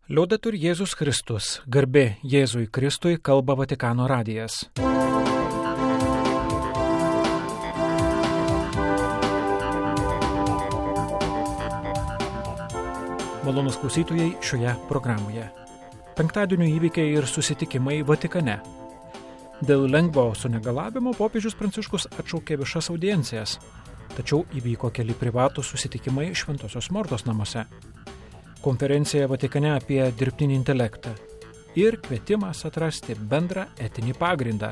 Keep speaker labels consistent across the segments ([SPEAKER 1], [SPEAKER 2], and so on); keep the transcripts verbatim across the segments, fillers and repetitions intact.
[SPEAKER 1] Liaudetur Jėzus Kristus, garbė Jėzui Kristui, kalba Vatikano radijas. Malonūs klausytojai šioje programoje. Penktadienio įvykiai ir susitikimai Vatikane. Dėl lengvo sunegalavimo popiežius Pranciškus atšaukė viešas audiencijas, tačiau įvyko keli privatūs susitikimai Šventosios Mortos namuose. Konferencija Vatikane apie dirbtinį intelektą ir kvietimas atrasti bendrą etinį pagrindą.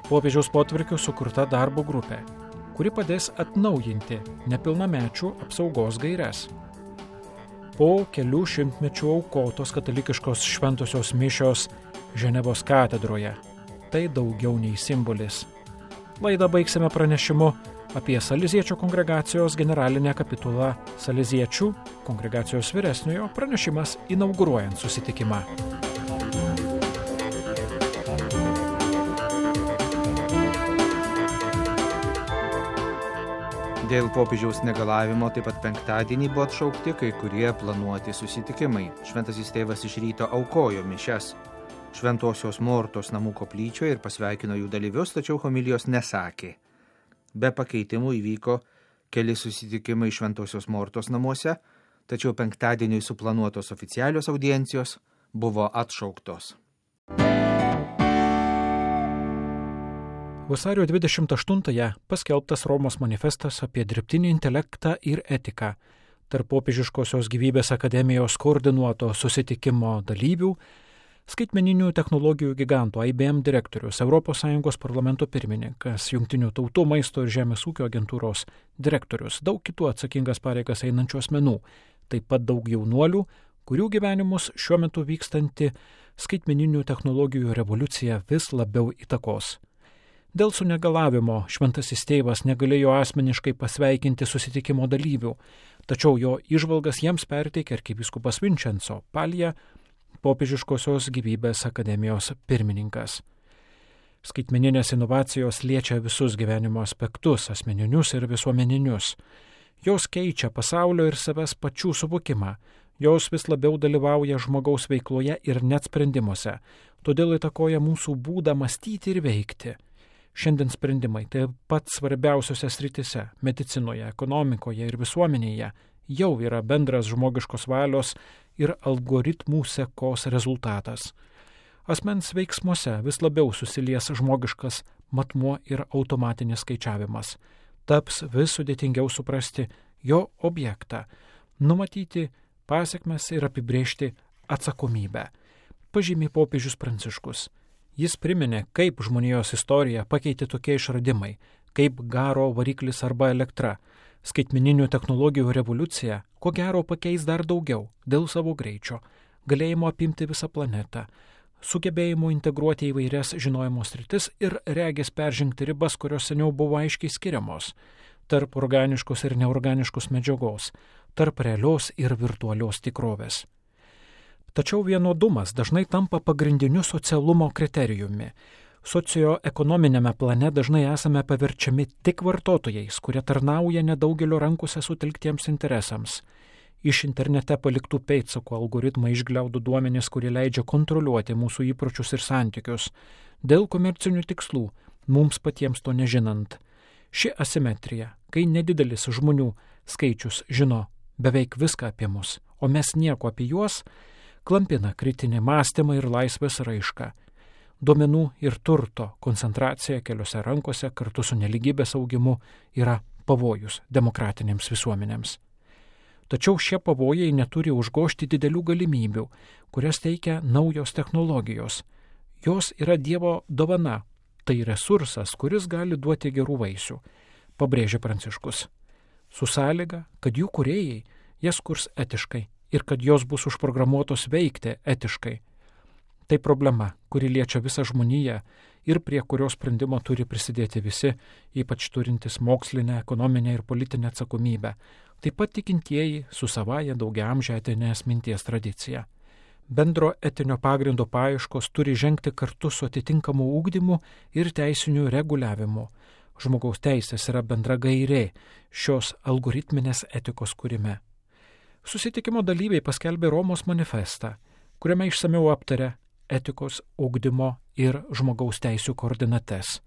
[SPEAKER 1] Popiežiaus potvarkiu sukurta darbo grupė, kuri padės atnaujinti nepilnamečių apsaugos gaires. Po kelių šimtmečių aukotos katalikiškos šventosios mišios Ženevos katedroje. Tai daugiau nei simbolis. Laidą baigsime pranešimu apie Saleziečių kongregacijos generalinę kapitulą Saleziečių kongregacijos vyresniojo pranešimas inauguruojant susitikimą.
[SPEAKER 2] Dėl popiežiaus negalavimo taip pat penktadienį buvo atšaukti kai kurie planuoti susitikimai. Šventasis tėvas iš ryto aukojo mišias Šventosios Mortos namų koplyčioje ir pasveikino jų dalyvius, tačiau homilijos nesakė. Be pakeitimų įvyko keli susitikimai Šventosios Mortos namuose, tačiau penktadieniui suplanuotos oficialios audiencijos buvo atšauktos.
[SPEAKER 1] Vasario dvidešimt aštuntąją paskelbtas Romos manifestas apie dirbtinį intelektą ir etiką. Tarp Popiežiškosios gyvybės akademijos koordinuoto susitikimo dalyvių skaitmeninių technologijų giganto I B M direktorius, Europos Sąjungos parlamento pirmininkas, Jungtinių tautų maisto ir žemės ūkio agentūros direktorius, daug kitų atsakingas pareigas einančių asmenų, taip pat daug jaunuolių, kurių gyvenimus šiuo metu vykstanti skaitmeninių technologijų revoliucija vis labiau įtakos. Dėl sunegalavimo šventasis tėvas negalėjo asmeniškai pasveikinti susitikimo dalyvių, tačiau jo įžvalgas jiems perteikė arkivyskupas Vincenzo Palija, Popiežiškosios gyvybės akademijos pirmininkas. Skaitmeninės inovacijos liečia visus gyvenimo aspektus, asmeninius ir visuomeninius. Jos keičia pasaulio ir savęs pačių suvokimą, jos vis labiau dalyvauja žmogaus veikloje ir net sprendimuose, todėl įtakoja mūsų būdą mąstyti ir veikti. Šiandien sprendimai taip pat svarbiausiose sritise – medicinoje, ekonomikoje ir visuomenėje – jau yra bendras žmogiškos valios ir algoritmų sekos rezultatas. Asmens veiksmuose vis labiau susilies žmogiškas matmuo ir automatinis skaičiavimas. Taps vis sudėtingiau suprasti jo objektą, numatyti pasekmes ir apibrėžti atsakomybę, pažymi popiežius Pranciškus. Jis priminė, kaip žmonijos istoriją pakeitė tokie išradimai, kaip garo variklis arba elektra. Skaitmeninių technologijų revoliucija, ko gero, pakeis dar daugiau dėl savo greičio, galėjimo apimti visą planetą, sugebėjimo integruoti įvairias žinojimo sritis ir regis peržengti ribas, kurios seniau buvo aiškiai skiriamos, tarp organiškos ir neorganiškos medžiagos, tarp realios ir virtualios tikrovės. Tačiau vienodumas dažnai tampa pagrindiniu socialumo kriterijumi. Socioekonominėme plane dažnai esame paverčiami tik vartotojais, kurie tarnauja nedaugelio rankose sutelktiems interesams. Iš internete paliktų pėdsakų algoritmai išgliaudo duomenis, kurie leidžia kontroliuoti mūsų įpročius ir santykius. Dėl komercinių tikslų, mums patiems to nežinant. Ši asimetrija, kai nedidelis žmonių skaičius žino beveik viską apie mus, o mes nieko apie juos, klampina kritinį mąstymą ir laisvės raišką. Duomenų ir turto koncentracija keliose rankose kartu su neligybės augimu yra pavojus demokratinėms visuomenėms. Tačiau šie pavojai neturi užgožti didelių galimybių, kurias teikia naujos technologijos. Jos yra Dievo dovana, tai resursas, kuris gali duoti gerų vaisių, pabrėžia Pranciškus. Su sąlyga, kad jų kūrėjai jas kurs etiškai ir kad jos bus užprogramuotos veikti etiškai. Tai problema, kuri liečia visą žmoniją ir prie kurios sprendimo turi prisidėti visi, ypač turintys mokslinę, ekonominę ir politinę atsakomybę, taip pat tikintieji su savaja daugiaamžę etinės minties tradicija. Bendro etinio pagrindo paieškos turi žengti kartu su atitinkamu ugdymu ir teisiniu reguliavimu. Žmogaus teisės yra bendra gairė šios algoritminės etikos kūrime. Susitikimo dalyviai paskelbė Romos manifestą, kuriame išsamiau aptarė etikos, ugdymo ir žmogaus teisių koordinates.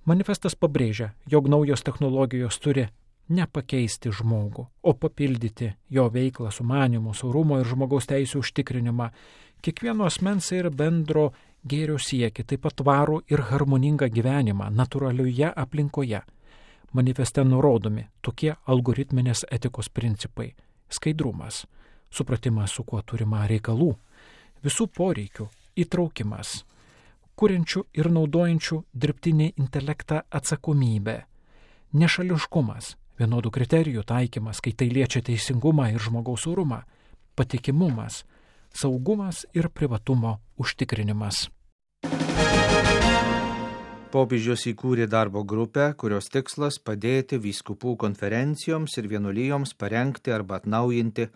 [SPEAKER 1] Manifestas pabrėžia, jog naujos technologijos turi nepakeisti žmogų, o papildyti jo veiklą, sumanymus, orumo ir žmogaus teisių užtikrinimą, kiekvieno asmens ir bendro gėrio siekį, taip pat tvarų ir harmoningą gyvenimą natūralioje aplinkoje. Manifeste nurodomi tokie algoritminės etikos principai: skaidrumas, supratimas, su kuo turima reikalų, visų poreikių įtraukimas, kuriančių ir naudojančių dirbtinį intelektą atsakomybė, nešališkumas, vienodų kriterijų taikymas, kai tai liečia teisingumą ir žmogaus orumą, patikimumas, saugumas ir privatumo užtikrinimas.
[SPEAKER 2] Popiežius įkūrė darbo grupę, kurios tikslas padėti vyskupų konferencijoms ir vienuolijoms parengti arba atnaujinti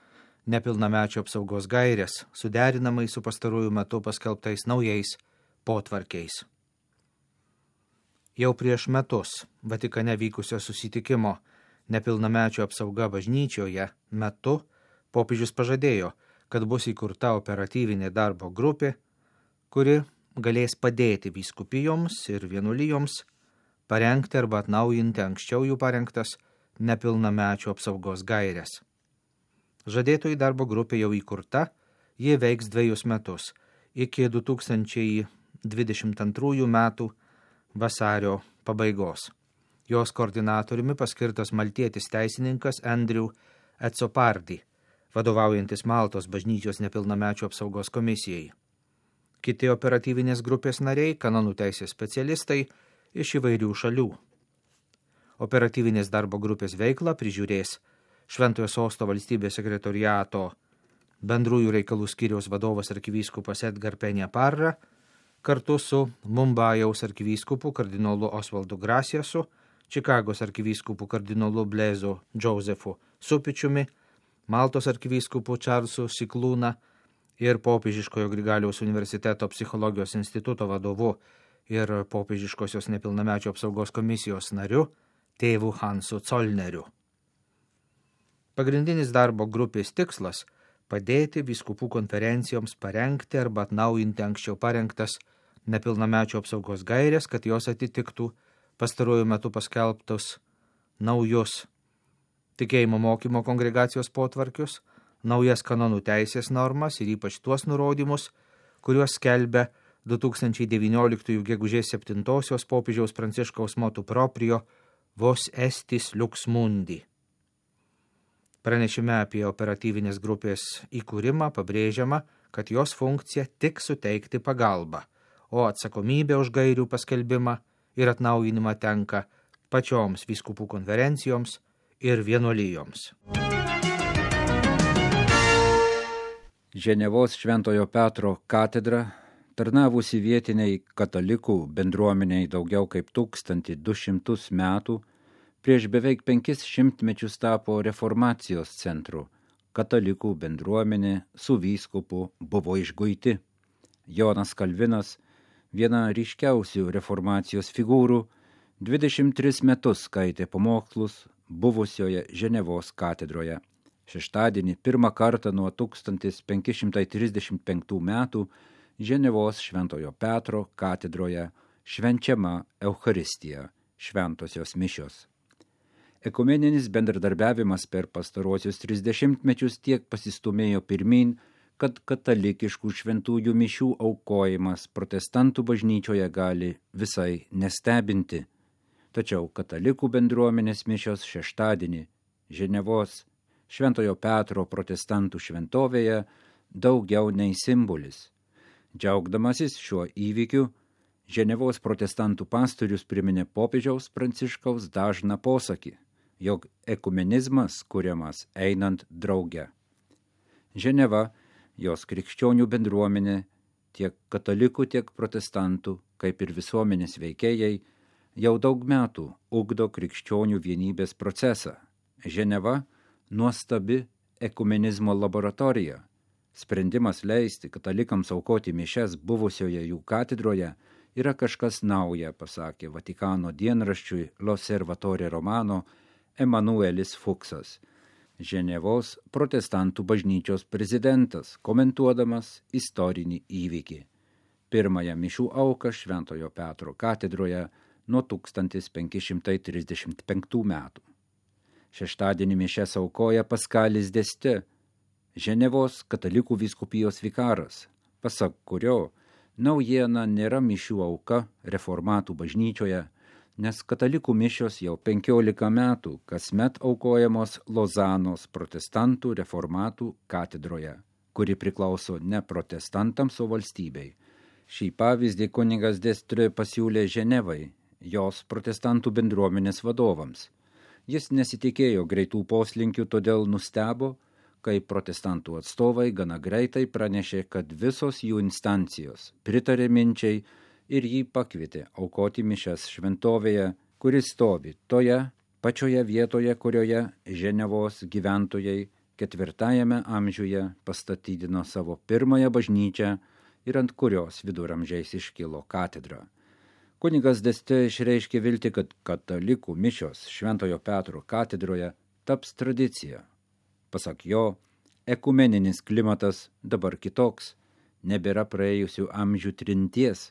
[SPEAKER 2] nepilnamečio apsaugos gaires, suderinamai su pastaruoju metu paskelbtais naujais potvarkiais. Jau prieš metus Vatikane vykusio susitikimo nepilnamečio apsauga bažnyčioje metu popiežius pažadėjo, kad bus įkurta operatyvinė darbo grupė, kuri galės padėti vyskupijoms ir vienuolijoms parengti arba atnaujinti anksčiau jų parengtas nepilnamečio apsaugos gaires. Žadėtoji darbo grupė jau įkurta, ji veiks dviejus metus, iki du tūkstančiai dvidešimt antrųjų metų vasario pabaigos. Jos koordinatoriumi paskirtas maltietis teisininkas Andrew Etsopardi, vadovaujantis Maltos bažnyčios nepilnamečio apsaugos komisijai. Kiti operatyvinės grupės nariai, kanonų teisės specialistai iš įvairių šalių. Operatyvinės darbo grupės veiklą prižiūrės Šventojo Sosto valstybės sekretoriato bendrųjų reikalų skyriaus vadovas arkivyskupas Edgar Peña Parra, kartu su Mumbajaus arkivyskupu kardinolu Osvaldu Grasiasu, Čikagos arkivyskupu kardinolu Blezu Josefu Supičiumi, Maltos arkivyskupu Čarlsu Siklūna ir Popiežiškojo Grigaliaus universiteto psichologijos instituto vadovu ir Popiežiškosios nepilnamečio apsaugos komisijos nariu tėvu Hansu Colneriu. Pagrindinis darbo grupės tikslas – padėti vyskupų konferencijoms parengti arba atnaujinti anksčiau parengtas nepilnamečio apsaugos gairės, kad jos atitiktų pastaruoju metu paskelbtus naujus tikėjimo mokymo kongregacijos potvarkius, naujas kanonų teisės normas ir ypač tuos nurodymus, kuriuos skelbia du tūkstančiai devynioliktųjų gegužės septintosios popiežiaus Pranciškaus motu proprio Vos estis lux mundi. Pranešime apie operatyvinės grupės įkūrimą pabrėžiama, kad jos funkcija tik suteikti pagalbą, o atsakomybė už gairių paskelbimą ir atnaujinimą tenka pačioms vyskupų konferencijoms ir vienuolijoms.
[SPEAKER 3] Ženevos Šventojo Petro katedra, tarnavusi vietiniai katalikų bendruomeniai daugiau kaip tūkstantį du šimtus metų, prieš beveik penkis šimtmečius tapo reformacijos centru. Katalikų bendruomenė su vyskupu buvo išguiti. Jonas Kalvinas, viena ryškiausių reformacijos figūrų, dvidešimt tris metus skaitė pamokslus buvusioje Ženevos katedroje. Šeštadienį pirmą kartą nuo tūkstantis penki šimtai trisdešimt penktų metų Ženevos Šventojo Petro katedroje švenčiama Eucharistija, šventosios mišios. Ekumeninis bendradarbiavimas per pastaruosius trisdešimtmečius tiek pasistumėjo pirmin, kad katalikiškų šventųjų mišių aukojimas protestantų bažnyčioje gali visai nestebinti. Tačiau katalikų bendruomenės mišios šeštadienį Ženevos Šventojo Petro protestantų šventovėje daugiau nei simbolis. Džiaugdamasis šiuo įvykiu, Ženevos protestantų pastorius priminė popiežiaus Pranciškaus dažną posakį, jog ekumenizmas kuriamas einant drauge. Ženeva, jos krikščionių bendruomenė, tiek katalikų, tiek protestantų, kaip ir visuomenės veikėjai, jau daug metų ugdo krikščionių vienybės procesą. Ženeva – nuostabi ekumenizmo laboratorija. Sprendimas leisti katalikams aukoti mišias buvusioje jų katedroje yra kažkas nauja, pasakė Vatikano dienraščiui L'Osservatore Romano Emanuelis Fuksas. Ženevos protestantų bažnyčios prezidentas, komentuodamas istorinį įvykį. Pirmąją mišių auką Šventojo Petro katedroje nuo tūkstantis penki šimtai trisdešimt penktų metų. Šeštadienį mišias aukoja Paskalis Deste, Ženevos katalikų vyskupijos vikaras, pasak kurio naujiena nėra mišių auka reformatų bažnyčioje, nes katalikų mišios jau penkiolika metų kasmet aukojamos Lozanos protestantų reformatų katedroje, kuri priklauso ne protestantams, o valstybei. Šį pavyzdį kunigas Destre pasiūlė Ženevai, jos protestantų bendruomenės vadovams. Jis nesitikėjo greitų poslinkių, todėl nustebo, kai protestantų atstovai gana greitai pranešė, kad visos jų instancijos pritarė minčiai ir jį pakvietė aukoti mišias šventovėje, kuris stovi toje pačioje vietoje, kurioje Ženevos gyventojai ketvirtajame amžiuje pastatydino savo pirmąją bažnyčią ir ant kurios viduramžiais iškilo katedra. Kunigas Deste išreiškė viltį, kad katalikų mišios Šventojo Petro katedroje taps tradicija. Pasak jo, ekumeninis klimatas dabar kitoks, nebėra praėjusių amžių trinties,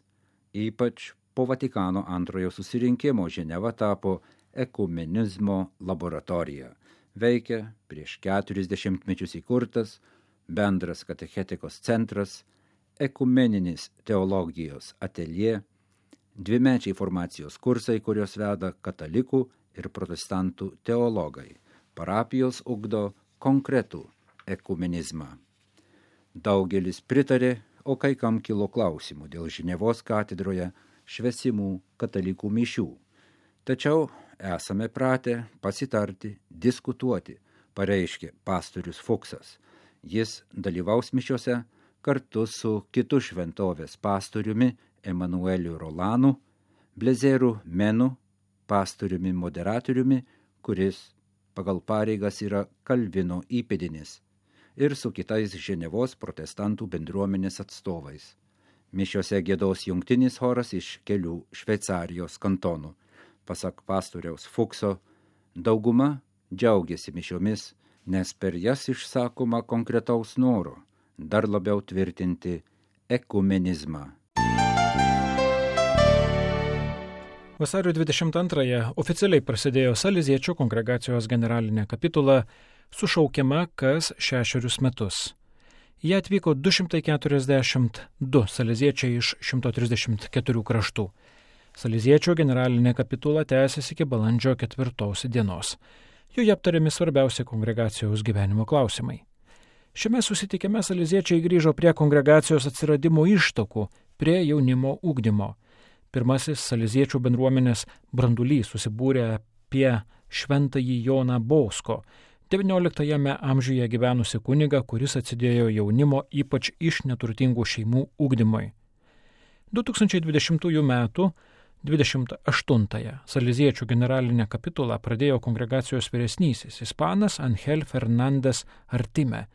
[SPEAKER 3] ypač po Vatikano antrojo susirinkimo Ženeva tapo ekumenizmo laboratorija. Veikia prieš keturis dešimtmečius įkurtas bendras katechetikos centras, ekumeninis teologijos ateljė, dvimečiai formacijos kursai, kurios veda katalikų ir protestantų teologai. Parapijos ugdo konkretų ekumenizmą. Daugelis pritarė, o kai kam kilo klausimų dėl Ženevos katedroje švęsimų katalikų mišių. Tačiau esame pratę pasitarti, diskutuoti, pareiškė pastorius Fuksas. Jis dalyvaus mišiose kartu su kitu šventovės pastoriumi Emanueliu Rolanu, Blezėru Menu, pastoriumi moderatoriumi, kuris pagal pareigas yra Kalvino įpėdinis, ir su kitais Ženevos protestantų bendruomenės atstovais. Mišiose giedos jungtinis choras iš kelių Šveicarijos kantonų. Pasak pastoriaus Fukso, dauguma džiaugiasi mišiomis, nes per jas išsakoma konkretaus noro dar labiau tvirtinti ekumenizmą.
[SPEAKER 1] Vasario dvidešimt antrąją oficialiai prasidėjo Saleziečių kongregacijos generalinė kapitula, sušaukiama kas šešerius metus. Jie atvyko du šimtai keturiasdešimt du saleziečiai iš šimto trisdešimt keturių kraštų. Saleziečių generalinė kapitula tęsiasi iki balandžio ketvirtos dienos. Joje aptariami svarbiausi kongregacijos gyvenimo klausimai. Šiame susitikime saleziečiai grįžo prie kongregacijos atsiradimo ištakų, prie jaunimo ugdymo. Pirmasis saleziečių bendruomenės brandulys susibūrė apie šventąjį Joną Bosko, devynioliktajame amžiuje gyvenusi kunigą, kuris atsidėjo jaunimo ypač iš neturtingų šeimų ugdymui. du tūkstančiai dvidešimtųjų metų dvidešimt aštuntąją saleziečių generalinę kapitulą pradėjo kongregacijos vyresnysis ispanas Angel Fernandes Artime,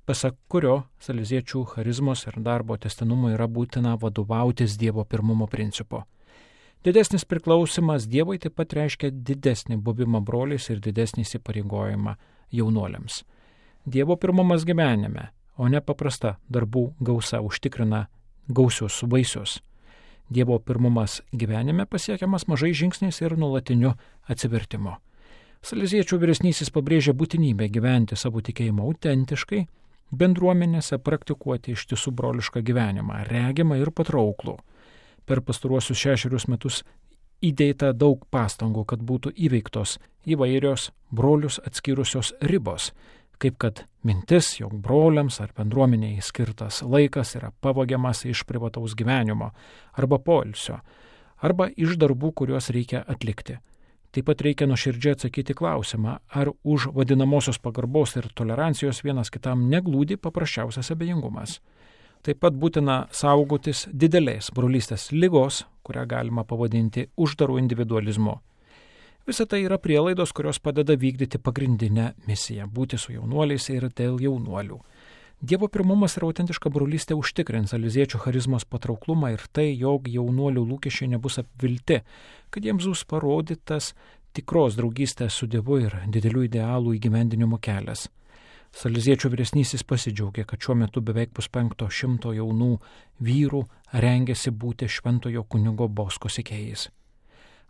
[SPEAKER 1] pasak kurio saleziečių charizmos ir darbo tęstinumui yra būtina vadovautis Dievo pirmumo principu. Didesnis priklausimas Dievui taip pat reiškia didesnį buvimą broliais ir didesnį įsipareigojimą jaunuoliams. Dievo pirmumas gyvenime, o ne paprasta darbų gausa užtikrina gausius vaisius. Dievo pirmumas gyvenime pasiekiamas mažai žingsniais ir nuolatiniu atsivertimu. Saleziečių vyresnysis pabrėžia būtinybę gyventi savo tikėjimą autentiškai, bendruomenėse praktikuoti ištisų brolišką gyvenimą, regimą ir patrauklų. Per pastaruosius šešerius metus įdėta daug pastangų, kad būtų įveiktos įvairios brolius atskyrusios ribos, kaip kad mintis, jog broliams ar bendruomeniai skirtas laikas yra pavogiamas iš privataus gyvenimo arba poilsio, arba iš darbų, kuriuos reikia atlikti. Taip pat reikia nuoširdžiai atsakyti klausimą, ar už vadinamosios pagarbos ir tolerancijos vienas kitam neglūdi paprasčiausias abejingumas. Taip pat būtina saugotis didelės brolystės ligos, kurią galima pavadinti uždaru individualizmu. Visa tai yra prielaidos, kurios padeda vykdyti pagrindinę misiją – būti su jaunuoliais ir dėl jaunuolių. Dievo pirmumas ir autentiška brolystė užtikrins saleziečių charizmos patrauklumą ir tai, jog jaunuolių lūkesčiai nebus apvilti, kad jiems bus parodytas tikros draugystės su Dievu ir didelių idealų įgyvendinimo kelias. Saleziečių vyresnysis pasidžiaugė, kad šiuo metu beveik puspenkto šimto jaunų vyrų rengėsi būti šventojo kunigo Bosko sekėjais.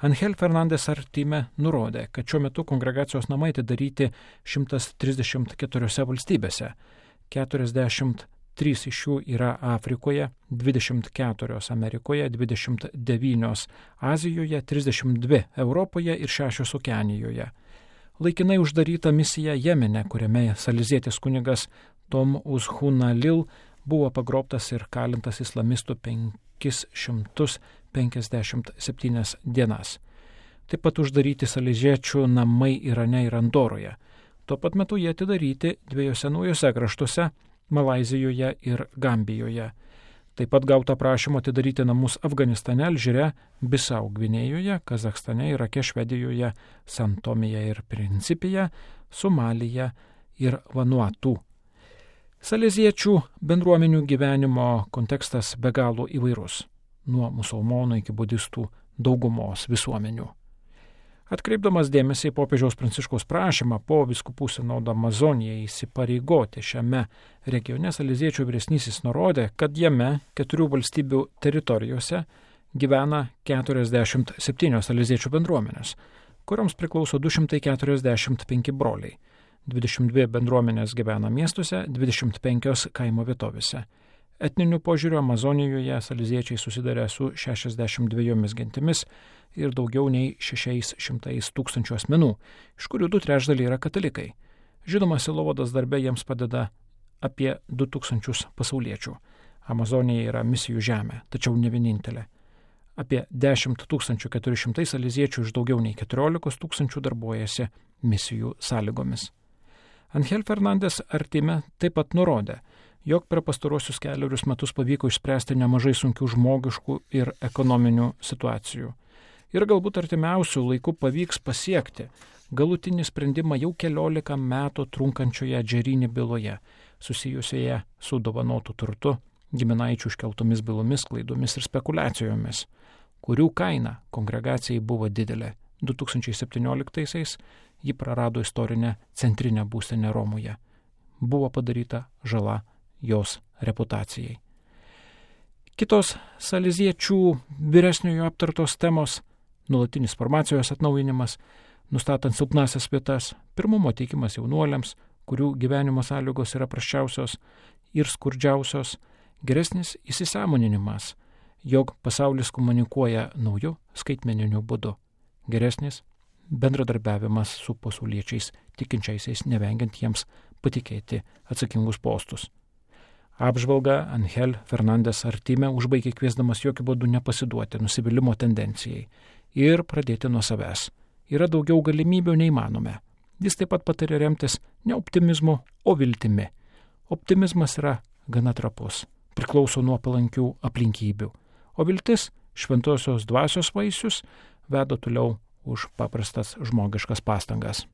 [SPEAKER 1] Angel Fernandes Artime nurodė, kad šiuo metu kongregacijos namai atidaryti šimtas trisdešimt keturiose valstybėse, keturiasdešimt trys iš jų yra Afrikoje, dvidešimt keturios Amerikoje, dvidešimt devynios Azijoje, trisdešimt dvi Europoje ir šešios Okeanijoje. Laikinai uždaryta misija Jemene, kuriame salezietis kunigas Tom Uzhunalil buvo pagrobtas ir kalintas islamistų penkis šimtus penkiasdešimt septynias dienas. Taip pat uždaryti saleziečių namai Irane ir Andoroje. Tuo pat metu jie atidaryti dviejose naujose kraštuose – Malaizijoje ir Gambijoje. Taip pat gauta prašymo atidaryti namus Afganistane, Alžyre, Bisau Gvinėjoje, Kazachstane, Irake, Švedijoje, San Tomėje ir Principėje, Somalija ir Vanuatu. Saleziečių bendruomenių gyvenimo kontekstas be galo įvairus, nuo musulmonų iki budistų daugumos visuomenių. Atkreipdamas dėmesį į popiežiaus Pranciškaus prašymą po vyskupų sinodo Amazonijai įsipareigoti šiame regione, saleziečių vyresnysis nurodė, kad jame keturių valstybių teritorijose gyvena keturiasdešimt septynios saleziečių bendruomenės, kurioms priklauso du šimtai keturiasdešimt penki broliai. dvidešimt dvi bendruomenės gyvena miestuose, dvidešimt penkios kaimo vietovėse. Etniniu požiūriu Amazonijoje saleziečiai susidarė su šešiasdešimt dviejomis gentimis ir daugiau nei šešiais šimtais tūkstančių asmenų, iš kurių du trečdaliai yra katalikai. Žinoma, sielovados darbe jiems padeda apie du tūkstančius pasauliečių. Amazonija yra misijų žemė, tačiau ne vienintelė. Apie dešimt tūkstančių keturi šimtai saleziečių iš daugiau nei keturiolikos tūkstančių darbuojasi misijų sąlygomis. Angel Fernandes Artime taip pat nurodė, jog per pastarosius keliarius metus pavyko išspręsti nemažai sunkių žmogiškų ir ekonominių situacijų. Ir galbūt artimiausių laikų pavyks pasiekti galutinį sprendimą jau keliolika metų trunkančioje Džerini byloje, susijusioje su dovanotu turtu, giminaičių iškeltomis bylomis, klaidomis ir spekulacijomis, kurių kaina kongregacijai buvo didelė. du tūkstančiai septynioliktaisiais ji prarado istorinę centrinę būstinę Romoje. Buvo padaryta žala jos reputacijai. Kitos saleziečių vyresniojo aptartos temos – nuolatinis formacijos atnaujinimas, nustatant silpnasias vietas, pirmumo teikimas jaunuoliams, kurių gyvenimo sąlygos yra prasčiausios ir skurdžiausios, geresnis įsisąmoninimas, jog pasaulis komunikuoja nauju skaitmeniniu būdu, geresnis bendradarbiavimas su pasauliečiais tikinčiaisiais, nevengiant jiems patikėti atsakingus postus. Apžvalgą Angel Fernandes Artime užbaigė kviesdamas jokių būdų nepasiduoti nusivylimimo tendencijai ir pradėti nuo savęs. Yra daugiau galimybių nei manome. Jis taip pat patarė remtis ne optimizmu, o viltimi. Optimizmas yra gana trapus, priklauso nuo palankių aplinkybių, o viltis, šventosios dvasios vaisius, veda toliau už paprastas žmogiškas pastangas.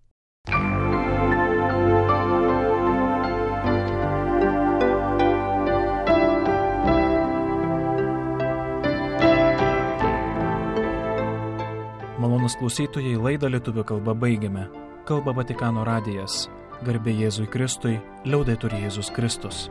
[SPEAKER 4] Malonus klausytojai, laidą lietuvių kalba baigiame. Kalba Vatikano radijas. Garbė Jėzui Kristui, liaudetur Jėzus Kristus.